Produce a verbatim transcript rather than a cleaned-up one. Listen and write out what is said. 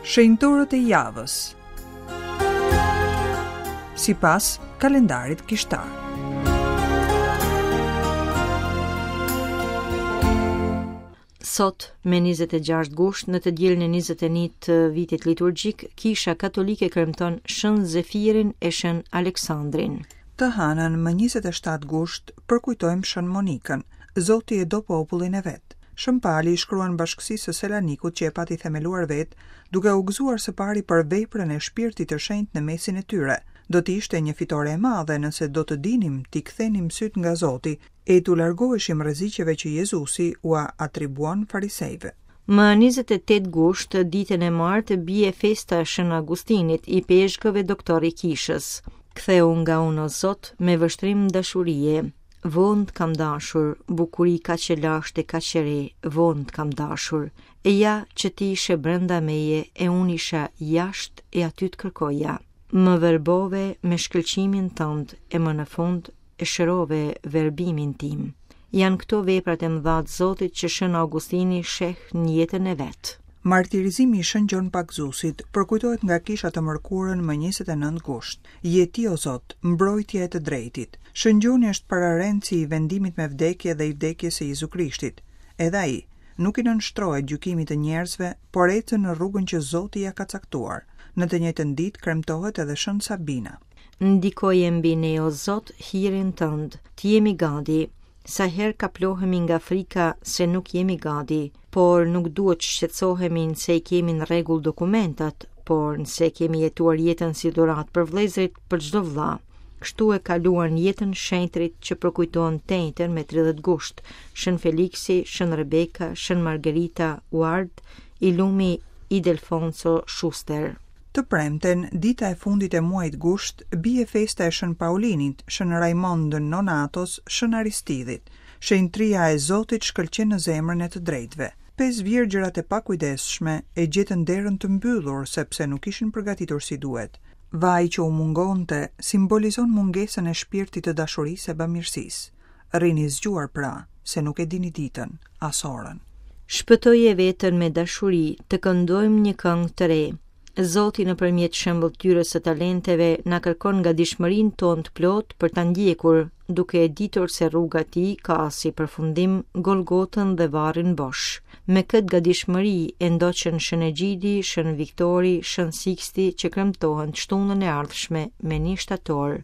Shenjtorët e javës. Sipas kalendarit kishtar. Sot, me njëzet e gjashtë gusht, në të dielën e njëzet e një të vitit liturgjik, Kisha Katolike kremton Shën Zefirin e Shën Aleksandrin. Të hanën më njëzet e shtatë gusht përkujtojmë Shën Monikën. Zoti e do popullin e vet. Shën Pali i shkruan bashkësisë së Selanikut që e pati themeluar vet, duke u gëzuar së pari për veprën e shpirtit të shenjtë në mesin e tyre. Do të ishte një fitore e madhe nëse do të dinim t'i kthenim syt nga Zoti e t'u largoheshim rreziqeve që Jezusi ua atribuon farisejve. Më njëzet e tetë gusht, ditën e martë, bie festa e Shën Augustinit, i peshkëve doktor i kishës. Ktheu nga unë, o Zot, me vështrim dashurie. Vonë të kam dashur, bukuri kaq e lashtë e kaq e re, vonë të kam dashur. E ja që ti ishe brenda meje e unë isha jashtë e aty të kërkoja. Më verbove me shkëlqimin tënd e më në fund e shërove verbimin tim. Janë këto veprat e mëdha të Zotit që Shën Augustini sheh në jetën e vet. Martirizimi i Shën Gjon Pagëzuesit përkujtohet nga kisha të mërkurën më njëzet e nëntë gusht. Je ti, o Zot, mbrojtja e të drejtit. Shën Gjoni është pararendësi i vendimit me vdekje dhe i vdekjes së Jezu Krishtit. Edhe ai nuk i nënshtrohet gjykimit të njerëzve, por ecën në rrugën që Zoti ja ka caktuar. Në të njëjtën ditë kremtohet edhe Shën Sabina. Ndikoje mbi ne, o Zot, hirin tënd, të jemi gati. Sa herë kaplohemi nga frika se nuk jemi gati, por nuk duhet të shqetësohemi nëse i kemi në rregull dokumentat, por nëse kemi jetuar jetën si dhuratë për vëllezërit, për çdo vëlla. Kështu e kaluan jetën shenjtrit që përkujtohen të enjten me tridhjetë gusht, Shën Feliksi, Shën Rebeka, Shën Margherita Ward, i lumi Idelfonso Schuster. Të premten, dita e fundit e muajit gusht, bie festa e Shën Paulinit, Shën Raimond Nonatos, Shën Aristidhit. Shenjtria e Zotit shkëlqen në zemrën e të drejtëve. Pesë virgjërat e pakujdesshme e gjetën derën të mbyllur sepse nuk ishin përgatitur si duhet. Vaji që u mungonte simbolizon mungesën e shpirtit të dashurisë e bamirësisë. Rrini zgjuar pra, se nuk e dini ditën, as orën. Shpëtoje veten me dashuri, të këndojmë një këngë të re. Zoti nëpërmjet shëmbëlltyrës së talenteve na kërkon gatishmërinë tonë të plotë për ta ndjekur, duke e ditur se rruga e tij ka si përfundim Golgotën dhe varrin bosh. Me këtë gatishmëri e ndoqën Shën Egjidi, Shën Viktori, Shën Siksti që kremtohen të shtunën e ardhshme me një shtator.